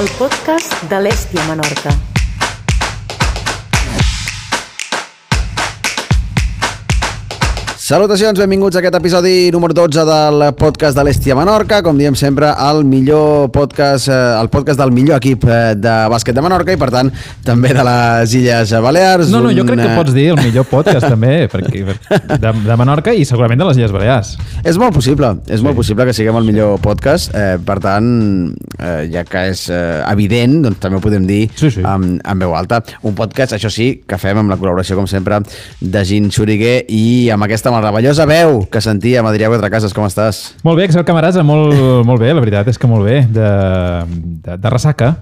el podcast de l'Èstia Menorca. Salutacions, benvinguts a aquest episodi número 12 del podcast de l'Èstia Menorca. Com diem sempre, el millor podcast, el podcast del millor equip de bàsquet de Menorca i, per tant, també de les Illes Balears. No, jo crec que pots dir el millor podcast també de Menorca i segurament de les Illes Balears. És molt possible, molt possible que siguem el millor podcast. Per tant, ja que és evident, doncs també ho podem dir en veu alta. Un podcast, això sí, que fem amb la col·laboració, com sempre, de Gin Xuriguer i amb aquesta meravellosa veu que sentíem. Adrià Cuatrecases, com estàs? Molt bé, Axel Camarasa, molt bé, la veritat és que molt bé, de ressaca.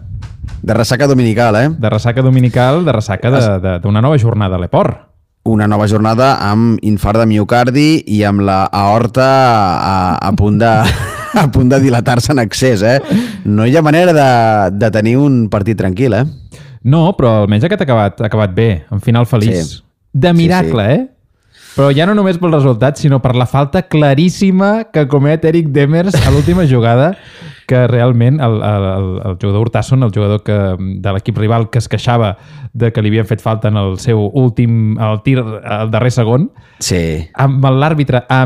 De ressaca dominical, De ressaca dominical, de ressaca d'una nova jornada a l'Eport. Una nova jornada amb infart de miocardi i amb la aorta a punt de dilatar-se en excés, No hi ha manera de tenir un partit tranquil, No, però almenys aquest ha acabat bé, en final feliç. Sí. De miracle, Però ja no només pel resultat, sinó per la falta claríssima que comet Eric Demers a l'última jugada, que realment el jugador Urtasun, el jugador de l'equip rival que es queixava de que li havien fet falta en el seu el tir al darrer segon, amb l'àrbitre a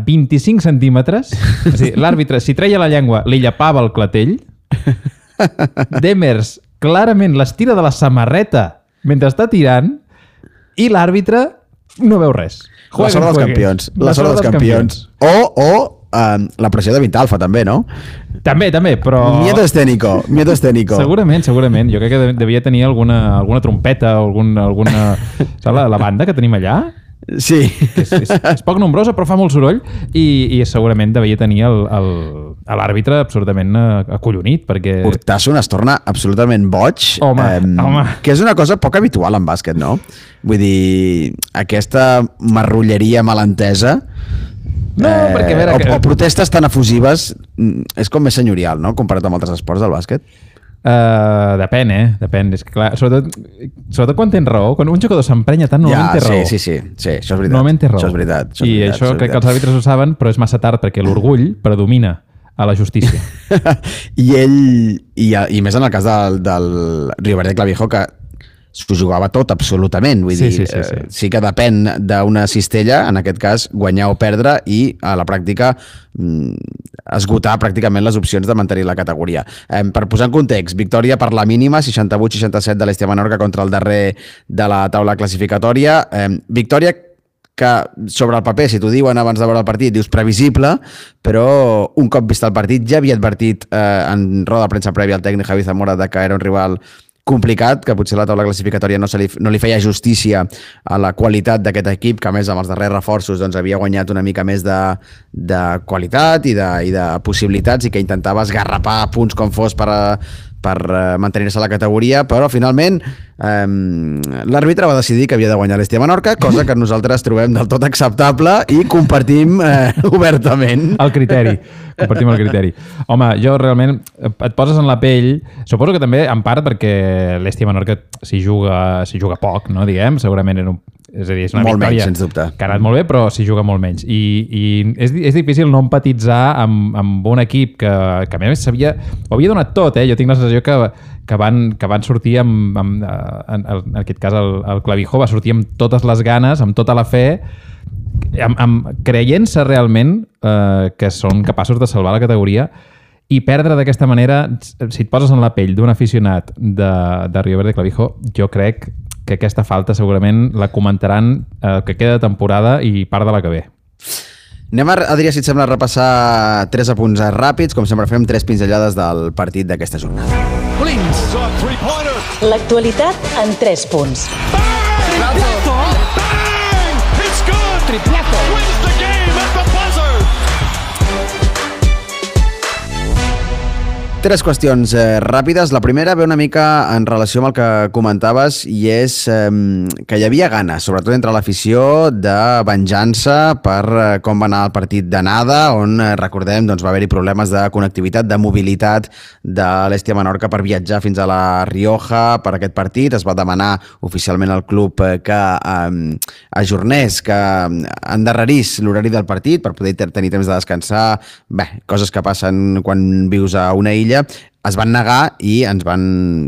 25 centímetres, és a dir, l'àrbitre, si treia la llengua, li llepava el clatell. Demers clarament l'estira de la samarreta mentre està tirant i l'àrbitre no veu res. La sort dels campions. La sort dels campions. O la pressió de Vintalfa, també, no? També, però... Miedo escénico. Segurament. Jo crec que devia tenir alguna trompeta o alguna... Saps la banda que tenim allà? Sí. És poc nombrosa, però fa molt soroll i segurament devia tenir l'àrbitre absolutament acollonit, perquè... Urtasun es torna absolutament boig. Home. Que és una cosa poc habitual en bàsquet, no? Vull dir, aquesta marrulleria malentesa... No, perquè a veure... O protestes tan efusives és com més senyorial, no? Comparat amb altres esports del bàsquet. Depèn. És que, clar, sobretot quan tens raó, quan un jugador s'emprenya tant, normalment té raó. Sí, això és veritat. Normalment té raó. Això és veritat. Això crec que els àrbitres ho saben, però és massa tard perquè l'orgull predomina a la justícia. I ell, i més en el cas del Rio Verde Clavijo, que s'ho jugava tot, absolutament. Vull dir, sí que depèn d'una cistella, en aquest cas, guanyar o perdre, i a la pràctica esgotar pràcticament les opcions de mantenir la categoria. Per posar en context, victòria per la mínima, 68-67 de l'Èstia Menorca contra el darrer de la taula classificatòria. Victòria que sobre el paper, si t'ho diuen abans de veure el partit, dius previsible, però un cop vist el partit ja havia advertit en roda de premsa prèvia el tècnic Javi Zamora de que era un rival complicat, que potser la taula classificatòria no li feia justícia a la qualitat d'aquest equip, que a més amb els darrers reforços doncs, havia guanyat una mica més de qualitat i de possibilitats i que intentava esgarrapar punts com fos per mantenir-se a la categoria, però finalment l'àrbitre va decidir que havia de guanyar l'Èstia Menorca, cosa que nosaltres trobem del tot acceptable i compartim obertament. Compartim el criteri. Home, jo realment et poses en la pell, suposo que també en part perquè l'Èstia Menorca s'hi juga poc, no, diguem, segurament és a dir, és una molt victòria menys, sens dubte. Que ha anat molt bé, però s'hi juga molt menys. I és difícil no empatitzar amb un equip que a més ho havia donat tot, Jo tinc la sensació que van sortir en aquest cas el Clavijo va sortir amb totes les ganes, amb tota la fe, creient-se realment que són capaços de salvar la categoria, i perdre d'aquesta manera, si et poses en la pell d'un aficionat de Rio Verde Clavijo, jo crec que aquesta falta segurament la comentaran que queda de temporada i part de la que ve. Anem, Adrià, si et sembla, a repassar 3 apunts ràpids, com sempre fem 3 pinzellades del partit d'aquesta jornada. L'actualitat en 3 punts. Triplazo! Bang! It's good! Triplazo! Wins the game at the buzzer! 3 qüestions ràpides. La primera ve una mica en relació amb el que comentaves i és que hi havia ganes, sobretot entre l'afició, de venjança per com va anar el partit d'anada, on, recordem, doncs, va haver-hi problemes de connectivitat, de mobilitat de l'Èstia Menorca per viatjar fins a la Rioja per aquest partit. Es va demanar oficialment al club que ajornés, que endarrerís l'horari del partit per poder tenir temps de descansar. Bé, coses que passen quan vius a una illa. es van negar i ens van,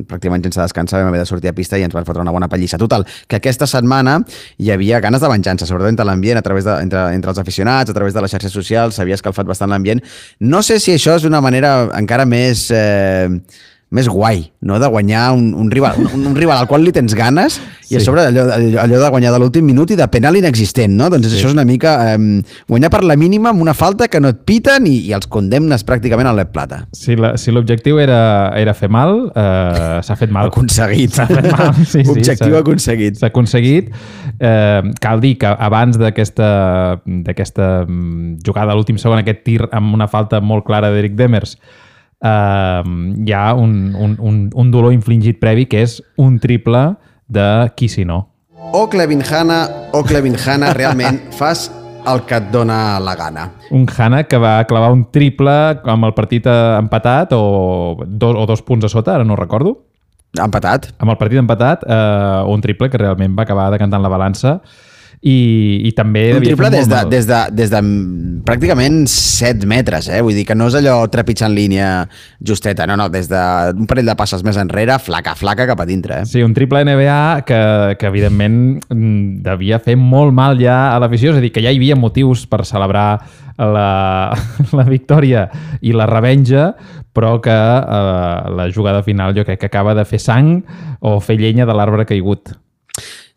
pràcticament sense descansar, vam haver de sortir a pista i ens van fotre una bona pallissa. Total, que aquesta setmana hi havia ganes de venjança, sobretot entre l'ambient, entre els aficionats, a través de les xarxes socials, s'havia escalfat bastant l'ambient. No sé si això és una manera encara més guai, no? De guanyar un rival al qual li tens ganes i a sobre allò de guanyar de l'últim minut i de penal inexistent, no? Doncs això és una mica guanyar per la mínima amb una falta que no et piten i els condemnes pràcticament a l'Ep Plata. Si l'objectiu era fer mal, s'ha fet mal. Aconseguit. S'ha fet mal. Sí, Objectiu aconseguit. S'ha aconseguit. Cal dir que abans d'aquesta jugada a l'últim segon, aquest tir amb una falta molt clara d'Eric Demers, hi ha un dolor infligit previ que és un triple de qui si no. O Clevin Hanna, realment fas el que et dona la gana. Un Hanna que va clavar un triple amb el partit empatat o 2 punts a sota, ara no ho recordo. Empatat. Amb el partit empatat, un triple que realment va acabar decantant la balança i també... Un triple des de pràcticament 7 metres, vull dir que no és allò trepitjant línia justeta, no, des d'un parell de passes més enrere, flaca cap a dintre. Sí, un triple NBA que evidentment devia fer molt mal ja a l'afició, és a dir, que ja hi havia motius per celebrar la victòria i la revenja, però que la jugada final jo crec que acaba de fer sang o fer llenya de l'arbre caigut.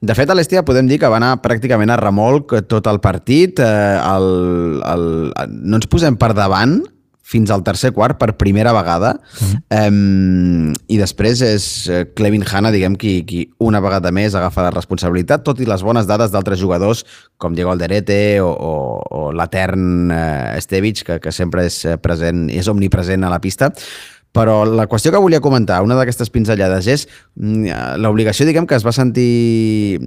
De fet, a l'Estia podem dir que va anar pràcticament a remolc tot el partit. No ens posem per davant fins al tercer quart per primera vegada. I després és Clevin Hanna, diguem, qui una vegada més agafa la responsabilitat, tot i les bones dades d'altres jugadors com Diego Alderete o l'etern Estevic, que sempre és present, és omnipresent a la pista. Però la qüestió que volia comentar, una d'aquestes pinzellades, és l'obligació, diguem, que es va sentir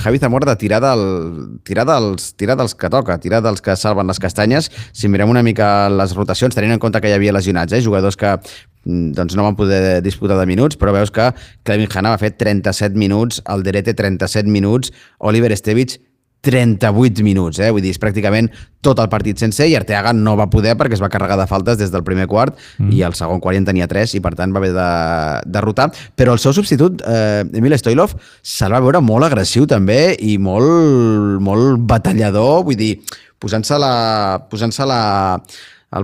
Javi Zamora de tirar dels que toca, tirar dels que salven les castanyes. Si mirem una mica les rotacions, tenint en compte que hi havia lesionats, jugadors que doncs no van poder disputar de minuts, però veus que Clevin Hanna va fer 37 minuts, Alderete 37 minuts, Oliver Estevic 38 minuts, vull dir, és pràcticament tot el partit sencer, i Arteaga no va poder perquè es va carregar de faltes des del primer quart i al segon quart en tenia 3 i per tant va haver de rotar, però el seu substitut, Emil Stoilov, se'l va veure molt agressiu també i molt batallador, vull dir, posant-se el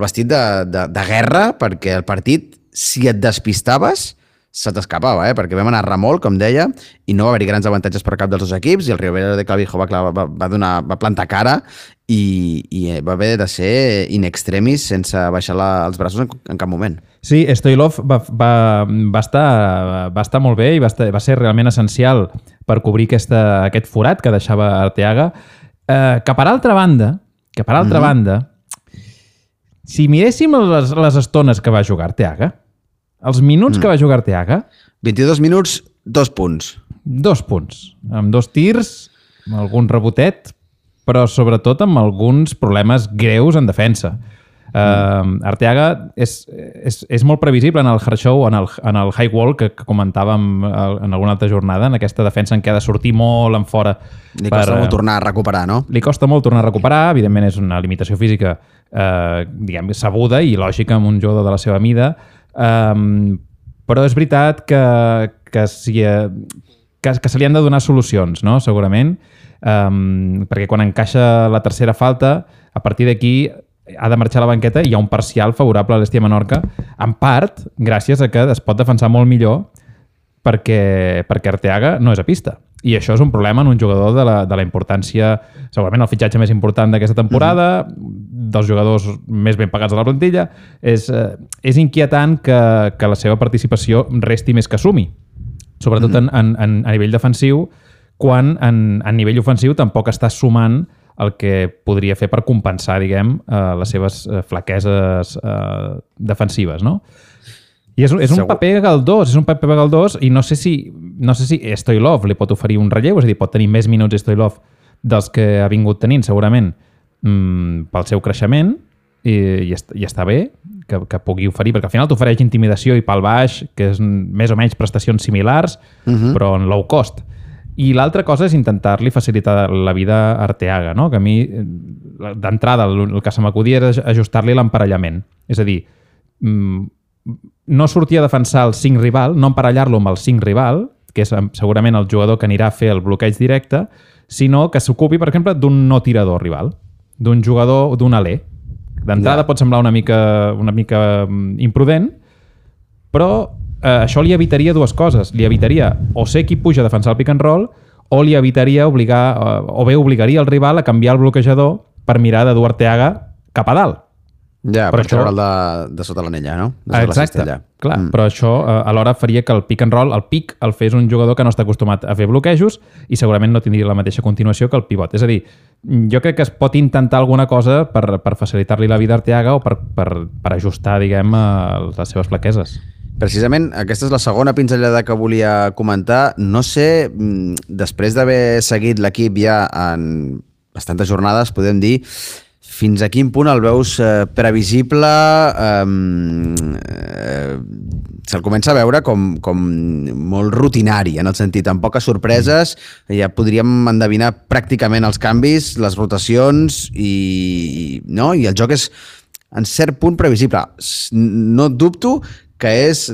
vestit de guerra, perquè el partit, si et despistaves, se t'escapava, perquè vam anar a remolc, com deia, i no va haver-hi grans avantatges per cap dels dos equips, i el Ribera de Clavijo va plantar cara i va haver de ser in extremis sense baixar els braços en cap moment. Sí, Stoilov va estar molt bé i va ser realment essencial per cobrir aquest forat que deixava Arteaga, que per altra banda, si miréssim les estones que va jugar Arteaga, els minuts que va jugar Arteaga... 22 minuts, 2 punts. 2 punts. Amb 2 tirs, amb algun rebotet, però sobretot amb alguns problemes greus en defensa. Arteaga és molt previsible en el hard show, en el high wall que comentàvem en alguna altra jornada, en aquesta defensa en què ha de sortir molt en fora. Li costa molt tornar a recuperar, no? Li costa molt tornar a recuperar, evidentment és una limitació física diguem, sabuda i lògica amb un jugador de la seva mida, però és veritat que se li han de donar solucions, no? Segurament, perquè quan encaixa la tercera falta, a partir d'aquí ha de marxar a la banqueta i hi ha un parcial favorable a l'Estia Menorca, en part gràcies a que es pot defensar molt millor perquè Arteaga no és a pista. I això és un problema en un jugador de la importància, segurament el fitxatge més important d'aquesta temporada, dels jugadors més ben pagats de la plantilla. És inquietant que la seva participació resti més que sumi, sobretot a nivell defensiu, quan a nivell ofensiu tampoc està sumant el que podria fer per compensar, diguem, les seves flaqueses defensives, no? I és un paper galdós, i no sé si Stoilov li pot oferir un relleu, és a dir, pot tenir més minuts Stoilov dels que ha vingut tenint, segurament, pel seu creixement, i està bé que pugui oferir, perquè al final t'ofereix intimidació i pal baix, que és més o menys prestacions similars, però en low cost. I l'altra cosa és intentar-li facilitar la vida a Arteaga, no? Que a mi, d'entrada, el que se m'acudia era ajustar-li l'emparellament. És a dir, no sortir a defensar el 5 rival, no emparellar-lo amb el 5 rival, que és segurament el jugador que anirà a fer el bloqueig directe, sinó que s'ocupi, per exemple, d'un no tirador rival, d'un jugador, d'un alè. D'entrada pot semblar una mica imprudent, però això li evitaria dues coses. Li evitaria o ser qui puja a defensar el pick and roll, o li evitaria obligaria el rival a canviar el bloquejador per mirar de dur Arteaga cap a dalt. Ja, per treure'l de sota l'anella, no? Exacte, clar, però això alhora faria que el pick and roll, el pick, el fes un jugador que no està acostumat a fer bloquejos i segurament no tindria la mateixa continuació que el pivot. És a dir, jo crec que es pot intentar alguna cosa per facilitar-li la vida a Arteaga o per ajustar, diguem, les seves flaqueses. Precisament, aquesta és la segona pinzellada que volia comentar. No sé, després d'haver seguit l'equip ja en bastantes jornades, podem dir, fins a quin punt el veus previsible, se'l comença a veure com molt rutinari, en el sentit, amb poques sorpreses, ja podríem endevinar pràcticament els canvis, les rotacions, i el joc és en cert punt previsible. No dubto que és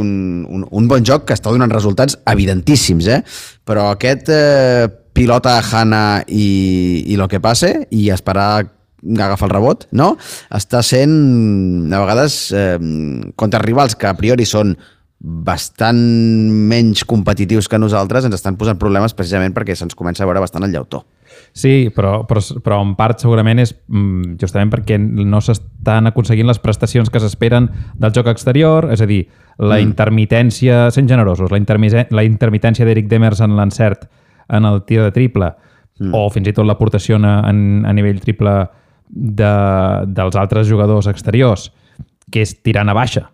un bon joc que està donant resultats evidentíssims, però aquest pilota a Hana i lo que passe i esperar agafar el rebot, no? Està sent, a vegades, contra rivals que a priori són bastant menys competitius que nosaltres, ens estan posant problemes precisament perquè se'ns comença a veure bastant el llautó. Sí, però en part segurament és justament perquè no s'estan aconseguint les prestacions que s'esperen del joc exterior, és a dir, la intermitència, sent generosos, la intermitència d'Eric Demers en l'encert en el tir de triple, o fins i tot l'aportació a nivell triple dels altres jugadors exteriors, que és tirant a baixa,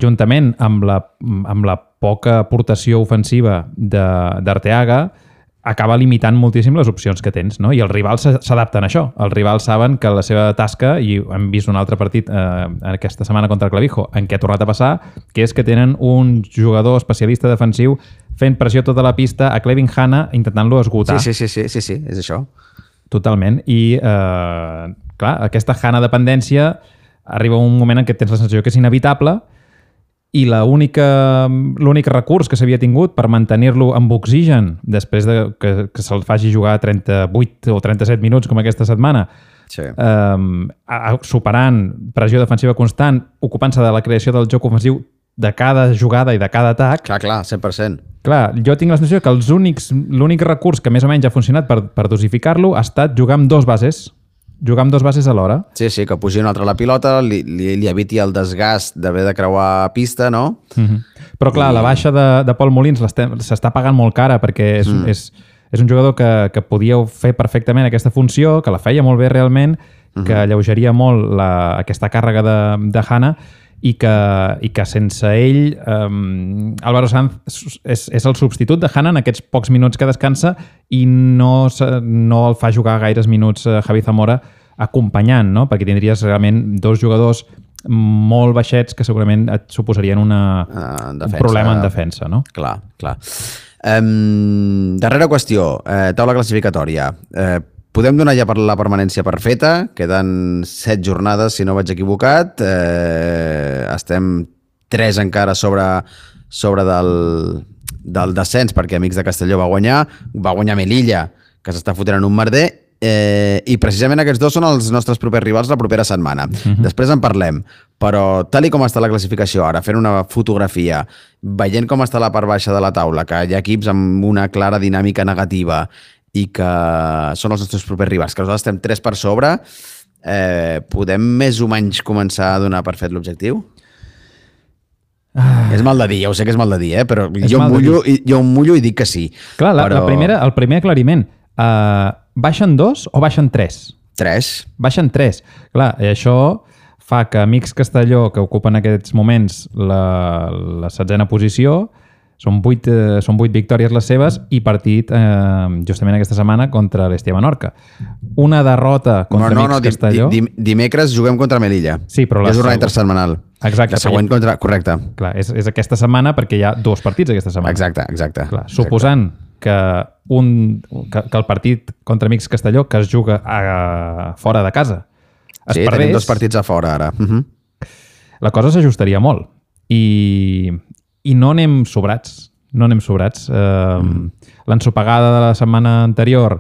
juntament amb la poca aportació ofensiva d'Arteaga, acaba limitant moltíssim les opcions que tens, no? I els rivals s'adapten a això. Els rivals saben que la seva tasca, i hem vist un altre partit aquesta setmana contra el Clavijo, en què ha tornat a passar, que és que tenen un jugador especialista defensiu fent pressió tota la pista a Clevin Hana, intentant-lo esgotar. Sí, és això. Totalment. I, clar, aquesta Hana dependència arriba un moment en què tens la sensació que és inevitable i l'únic recurs que s'havia tingut per mantenir-lo amb oxigen després que se'l faci jugar 38 o 37 minuts com aquesta setmana, superant pressió defensiva constant, ocupant-se de la creació del joc ofensiu de cada jugada i de cada atac. Clar, 100%. Clar, jo tinc la sensació que l'únic recurs que més o menys ha funcionat per dosificar-lo ha estat jugar amb dos bases alhora. Sí, que pugi una altra la pilota, li eviti el desgast d'haver de creuar pista, no? Però clar, la baixa de Pol Molins s'està pagant molt cara perquè és un jugador que podia fer perfectament aquesta funció, que la feia molt bé realment, que alleugeria molt aquesta càrrega de Hana i que sense ell Álvaro Sanz és el substitut de Hana en aquests pocs minuts que descansa i no el fa jugar gaires minuts Javi Zamora acompanyant, no? Perquè tindries realment dos jugadors molt baixets que segurament et suposarien un problema en defensa, no? Clar. Darrera qüestió, taula classificatòria. Podem donar ja per la permanència perfeta, queden 7 jornades, si no vaig equivocat. Estem 3 encara sobre del descens, perquè Amics de Castelló va guanyar Melilla, que s'està fotent en un merder, i precisament aquests dos són els nostres propers rivals la propera setmana. Després en parlem, però tal com està la classificació ara, fent una fotografia, veient com està la part baixa de la taula, que hi ha equips amb una clara dinàmica negativa, i que són els nostres propers rivals, que nosaltres estem 3 per sobre, podem més o menys començar a donar per fet l'objectiu? És mal de dir, ja ho sé que és mal de dir, però jo em mullo i dic que sí. Clar, el primer aclariment, baixen 2 o baixen 3? 3. Baixen 3. Clar, i això fa que Amics Castelló, que ocupen en aquests moments la 16a posició, són 8 victòries les seves i partit justament aquesta setmana contra l'Hestia Menorca. Una derrota contra Amics Castelló... Dimecres juguem contra Melilla. Sí, però és jornada intersetmanal. Exacte. La següent contra... Correcte. Clar, és aquesta setmana perquè hi ha 2 partits aquesta setmana. Exacte. Clar, suposant que el partit contra Amics Castelló que es juga fora de casa es perdés... tenim 2 partits a fora ara. la cosa s'ajustaria molt. I no anem sobrats. L'ensopegada de la setmana anterior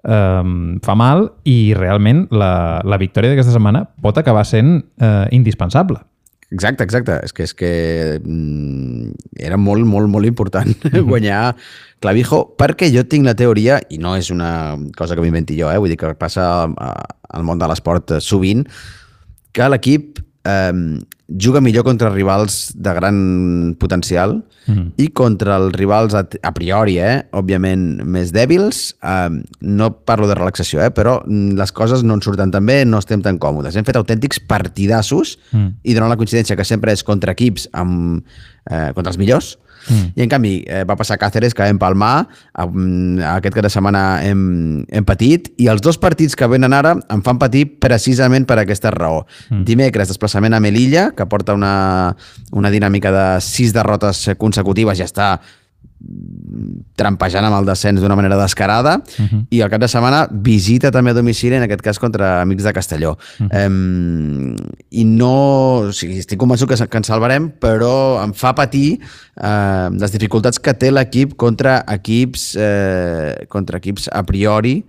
fa mal i realment la victòria d'aquesta setmana pot acabar sent indispensable. Exacte. És que era molt, molt, molt important guanyar Clavijo, perquè jo tinc la teoria, i no és una cosa que m'inventi jo, vull dir que passa al món de l'esport sovint, que l'equip juga millor contra rivals de gran potencial i contra els rivals a priori, òbviament, més dèbils. No parlo de relaxació, però les coses no ens surten tan bé, no estem tan còmodes. Hem fet autèntics partidassos i donant la coincidència que sempre és contra equips contra els millors. I en canvi va passar a Càceres, que vam palmar, aquest cap de setmana hem patit, i els dos partits que venen ara em fan patir precisament per aquesta raó. Dimecres, desplaçament a Melilla, que porta una dinàmica de 6 derrotes consecutives, ja està trampejant amb el descens d'una manera descarada, i al cap de setmana visita també a domicili, en aquest cas contra Amics de Castelló. I no... O sigui, estic convençut que ens salvarem, però em fa patir les dificultats que té l'equip contra equips a priori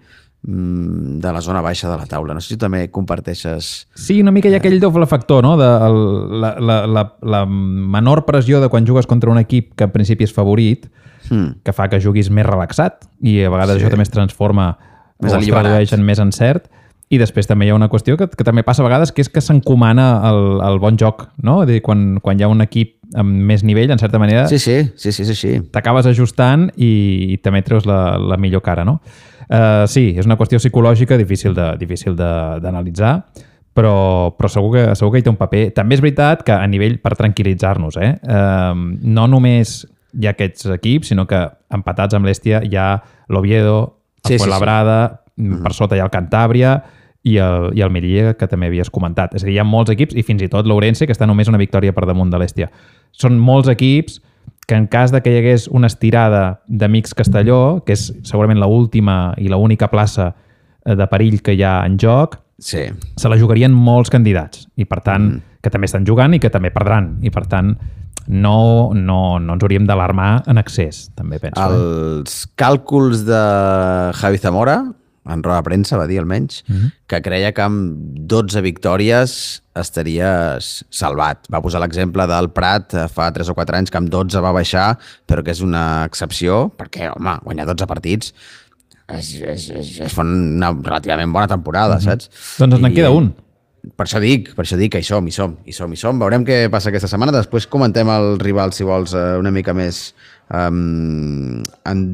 de la zona baixa de la taula. No sé si tu també comparteixes... Sí, una mica hi ha aquell doble factor, no? La menor pressió de quan jugues contra un equip que en principi és favorit, que fa que juguis més relaxat, i a vegades això també es transforma o es tradueix en més encert. I després també hi ha una qüestió que també passa a vegades, que és que s'encomana el bon joc, no? És a dir, quan hi ha un equip amb més nivell, en certa manera, sí. T'acabes ajustant i també treus la millor cara, no? Sí, és una qüestió psicològica difícil d'analitzar, però segur que hi té un paper. També és veritat que a nivell, per tranquil·litzar-nos, no només hi ha aquests equips, sinó que empatats amb l'Hèstia hi ha l'Oviedo, el Fuenlabrada, per sota hi ha el Cantàbria i el Melilla, que també havies comentat. És a dir, hi ha molts equips, i fins i tot l'Ourense, que està només una victòria per damunt de l'Hèstia. Són molts equips que en cas de que hi hagués una estirada d'Amics Castelló, que és segurament l'última i l'única plaça de perill que hi ha en joc, se la jugarien molts candidats, i per tant, que també estan jugant i que també perdran, i per tant no ens hauríem d'alarmar en excés, també penso. Els càlculs de Javi Zamora, en roda de premsa va dir almenys, que creia que amb 12 victòries estaries salvat. Va posar l'exemple del Prat fa 3 o 4 anys, que amb 12 va baixar, però que és una excepció, perquè, home, guanyar 12 partits és una relativament bona temporada, saps? Doncs en queda un. Per això dic que hi som. Veurem què passa aquesta setmana. Després comentem el rival, si vols, una mica més en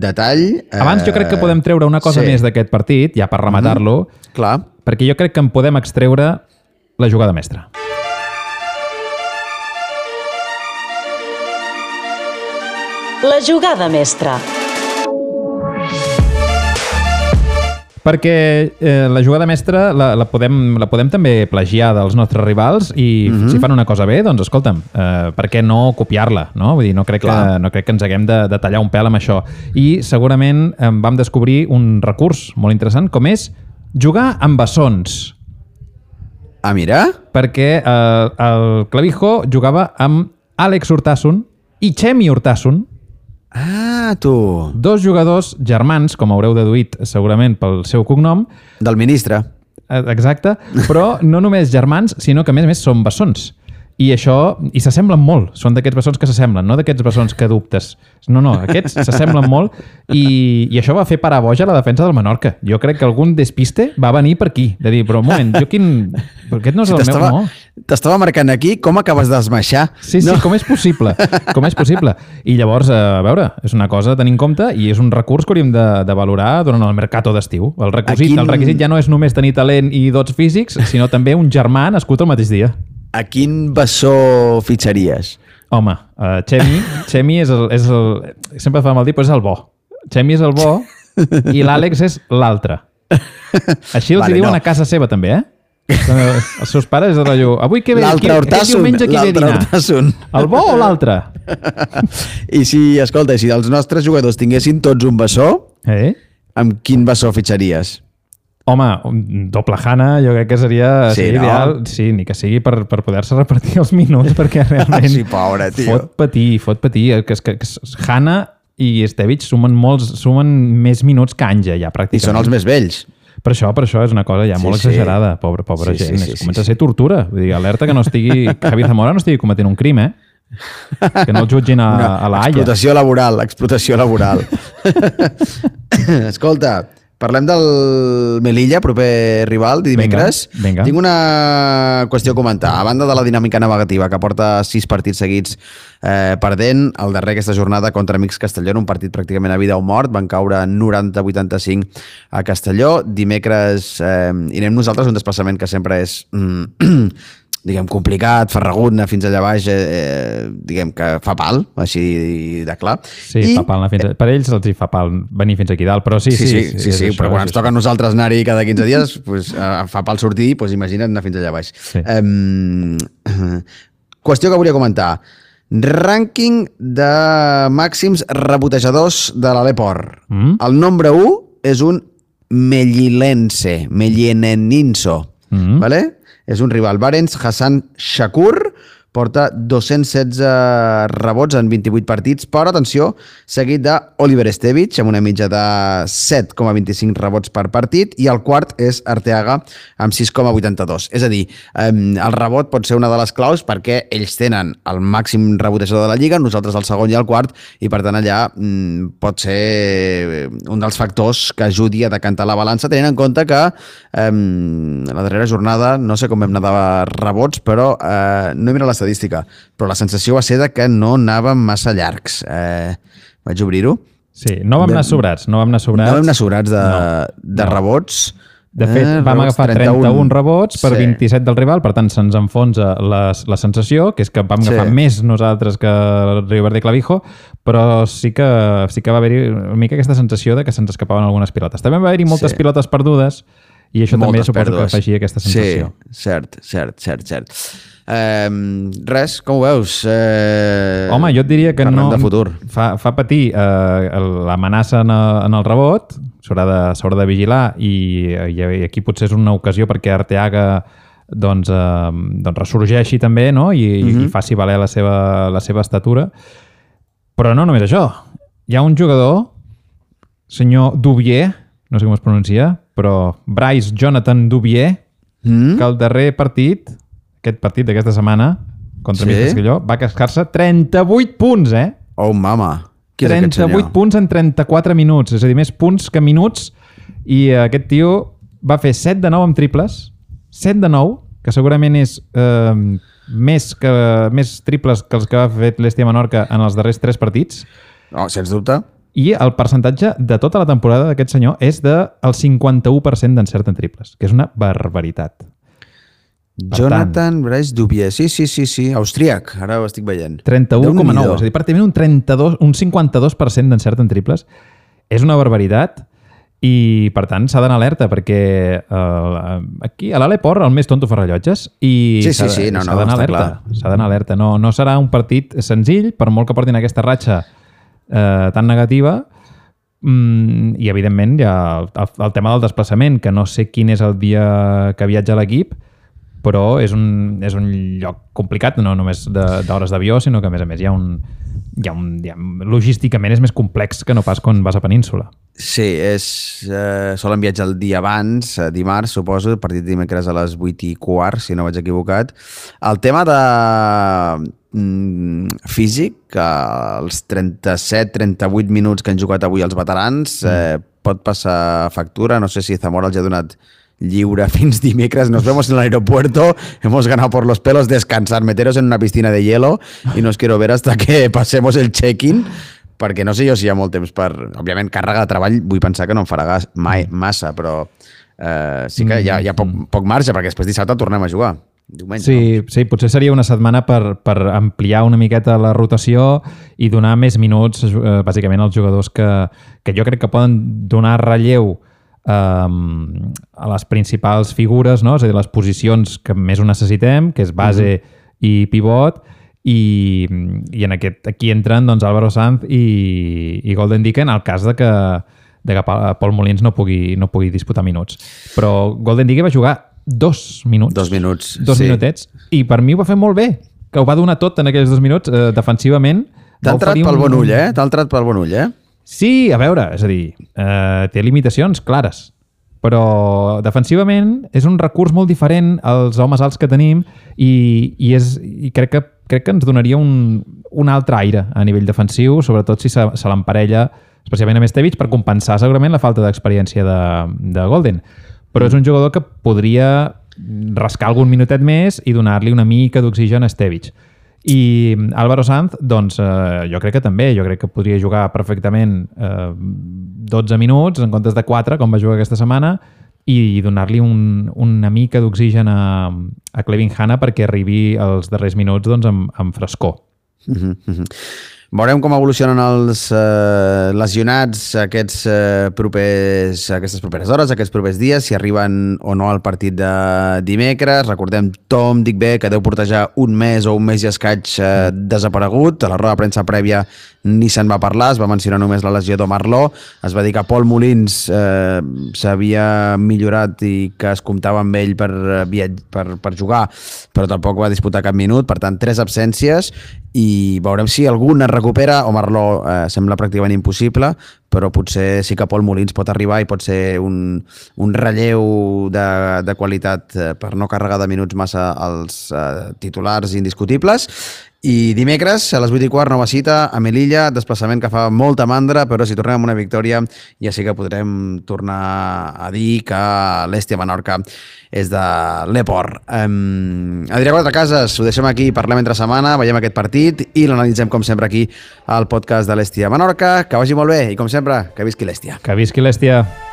detall. Abans jo crec que podem treure una cosa més d'aquest partit, ja per rematar-lo, perquè jo crec que en podem extreure la jugada mestra. La jugada mestra. Perquè la jugada mestra la podem també plagiar dels nostres rivals i si fan una cosa bé, doncs escolta'm, per què no copiar-la? No? Vull dir, no crec que ens haguem de tallar un pèl amb això. I segurament vam descobrir un recurs molt interessant, com és jugar amb bessons. Ah, mira! Perquè el Clavijo jugava amb Àlex Urtasun i Chemi Urtasun. Ah, tu! Dos jugadors germans, com haureu deduït segurament pel seu cognom. Del ministre. Exacte, però no només germans, sinó que a més són bessons. I s'assemblen molt. Són d'aquests bessons que s'assemblen, no d'aquests bessons que dubtes. No, aquests s'assemblen molt i això va fer parar boja la defensa del Menorca. Jo crec que algun despiste va venir per aquí, de dir, però un moment, però aquest no és el meu, no? T'estava marcant aquí, com acabes d'esmaixar? Sí, com és possible? I llavors, a veure, és una cosa a tenir en compte i és un recurs que hauríem de valorar durant el mercato d'estiu. El requisit ja no és només tenir talent i dots físics, sinó també un germà nascut el mateix dia. A quin bessó fitxaries? Home, Chemi és el... Sempre fa mal dir, però és el bo. Chemi és el bo i l'Àlex és l'altre. Així els diuen a casa seva, també, Els seus pares és de rotllo... Avui què ve? L'altre Urtasun. El bo o l'altre? I si els nostres jugadors tinguessin tots un bessó, amb quin bessó fitxaries? Home, un doble Hana jo crec que seria ideal. Sí, ni que sigui per poder-se repartir els minuts, perquè realment sí, pobre, tio. Fot patir. Que Hana i Stevic sumen més minuts que Anja, ja, pràcticament. I són els més vells. Per això és una cosa ja molt exagerada, pobra gent. Comença a ser tortura. Vull dir, alerta que Javier Zamora no estigui cometent un crim, que no el jutgin a la Haia. Explotació laboral. Escolta, parlem del Melilla, proper rival, dimecres. Vinga. Tinc una qüestió a comentar. A banda de la dinàmica negativa, que porta 6 partits seguits perdent, el darrer aquesta jornada contra Amics Castelló, un partit pràcticament a vida o mort, van caure 90-85 a Castelló. Dimecres irem nosaltres, un desplaçament que sempre és... diguem, complicat, farragut, anar fins allà baix, diguem que fa pal, així de clar. Sí, fa pal anar fins per ells els hi fa pal venir fins aquí dalt, però sí, però quan ens toca a nosaltres anar-hi cada 15 dies, pues, fa pal sortir, pues, imagina't anar fins allà baix. Sí. Qüestió que volia comentar. Rànquing de màxims rebotejadors de l'Aleport. El nombre 1 és un mellilense, vale? És un rival. Barents Hassan Shakur porta 216 rebots en 28 partits, però, atenció, seguit d'Oliver Stevic, amb una mitja de 7,25 rebots per partit, i el quart és Arteaga, amb 6,82. És a dir, el rebot pot ser una de les claus perquè ells tenen el màxim rebotejador de la Lliga, nosaltres el segon i el quart, i per tant allà pot ser un dels factors que ajudi a decantar la balança, tenint en compte que la darrera jornada, no sé com vam anar de rebots, però no he mirat l'estadística, però la sensació va ser de que no anàvem massa llargs. Vaig obrir-ho. Sí, no vam anar sobrats. No vam anar sobrats de rebots. De fet, vam agafar 31 rebots per 27 del rival, per tant se'ns enfonsa la sensació, que és que vam agafar més nosaltres que el Riverde Clavijo, però sí que va haver-hi una mica aquesta sensació de que se'ns escapaven algunes pilotes. També va haver-hi moltes pilotes perdudes, i això també suposo que afegia aquesta sensació. Sí, cert. Res, com ho veus? Home, jo et diria que no... de futur. Fa patir l'amenaça en el rebot, s'haurà de vigilar, i aquí potser és una ocasió perquè Arteaga doncs ressorgeixi també, no? I faci valer la seva estatura. Però no només això. Hi ha un jugador, senyor Dubier, no sé com es pronuncia, però Bryce Jonathan Dubier, que el darrer partit, aquest partit d'aquesta setmana, contra Amics Castelló, va cascar-se 38 punts, Oh, mama! 38 punts en 34 minuts, és a dir, més punts que minuts, i aquest tio va fer 7 de 9 amb triples, 7 de 9, que segurament és més triples que els que ha fet l'Estia Menorca en els darrers 3 partits. No, sens dubte. I el percentatge de tota la temporada d'aquest senyor és del 51% d'encert en triples, que és una barbaritat. Jonathan Bryce Dubier, sí, austríac, ara ho estic veient. 31,9, és a dir, pràcticament un 52% d'encert en triples. És una barbaritat i, per tant, s'ha d'anar alerta perquè aquí a l'Aleport el més tonto fa rellotges i s'ha d'anar alerta. S'ha d'anar alerta. No serà un partit senzill, per molt que portin aquesta ratxa tan negativa, i evidentment hi ha el tema del desplaçament, que no sé quin és el dia que viatja l'equip, però és un lloc complicat, no només d'hores d'avió, sinó que a més hi ha un logísticament és més complex que no pas quan vas a Península. Sí, solen viatjar el dia abans, dimarts, suposo, el partit dimecres a les 8:15, si no vaig equivocat. El tema de físic, que els 37-38 minuts que han jugat avui els veterans pot passar factura. No sé si Zamora els ha donat lliure fins dimecres. Nos vemos en el aeropuerto, hemos ganado por los pelos, descansar, meteros en una piscina de hielo y no os quiero ver hasta que pasemos el check-in, perquè no sé jo si hi ha molt temps per... Òbviament, càrrega de treball vull pensar que no em farà mai massa, però sí que hi ha poc marge, perquè després dissabte tornem a jugar. Diumenge, sí, potser seria una setmana per ampliar una miqueta la rotació i donar més minuts, bàsicament, als jugadors que jo crec que poden donar relleu a les principals figures, no? És a dir, les posicions que més ho necessitem, que és base i pivot, i en aquí entren doncs, Álvaro Sanz i Golden Dicken, en el cas de de que Pol Molins no pugui disputar minuts. Però Golden Digger va jugar 2 minuts. 2 minuts, Dos sí. minutets. I per mi ho va fer molt bé, que ho va donar tot en aquells 2 minuts, defensivament. T'ha entrat pel bon ull, eh? T'ha entrat pel bon ull, eh? Sí, a veure, és a dir, té limitacions clares, però defensivament és un recurs molt diferent als homes alts que tenim i crec que ens donaria un altre aire a nivell defensiu, sobretot si se l'emparella especialment amb Stevic, per compensar segurament la falta d'experiència de Golden. Però és un jugador que podria rascar algun minutet més i donar-li una mica d'oxigen a Stevic. I Álvaro Sanz, doncs, jo crec que també, jo crec que podria jugar perfectament 12 minuts en comptes de 4, com va jugar aquesta setmana, i donar-li una mica d'oxigen a Clevin Hanna perquè arribi als darrers minuts doncs, amb frescor. Veurem com evolucionen els lesionats aquestes properes hores, aquests propers dies, si arriben o no al partit de dimecres. Recordem Tom Digbé, que deu portar ja un mes o un mes i escaig desaparegut. A la roda de premsa prèvia ni se'n va parlar, es va mencionar només la lesió d'Omar Lo. Es va dir que Pol Molins s'havia millorat i que es comptava amb ell per jugar, però tampoc va disputar cap minut. Per tant, 3 absències i veurem si algun es recupera. Omar Lo sembla pràcticament impossible, però potser sí que Pol Molins pot arribar i pot ser un relleu de qualitat per no carregar de minuts massa als titulars indiscutibles. I dimecres, a les 8:15, nova cita a Melilla, desplaçament que fa molta mandra, però si tornem amb una victòria ja sí que podrem tornar a dir que l'Hèstia Menorca és de l'Eport. Adrià Quatrecases, ho deixem aquí, parlem entre setmana, veiem aquest partit i l'analitzem com sempre aquí al podcast de l'Hèstia Menorca. Que vagi molt bé i com sempre, que visqui l'Hèstia. Que visqui l'Hèstia.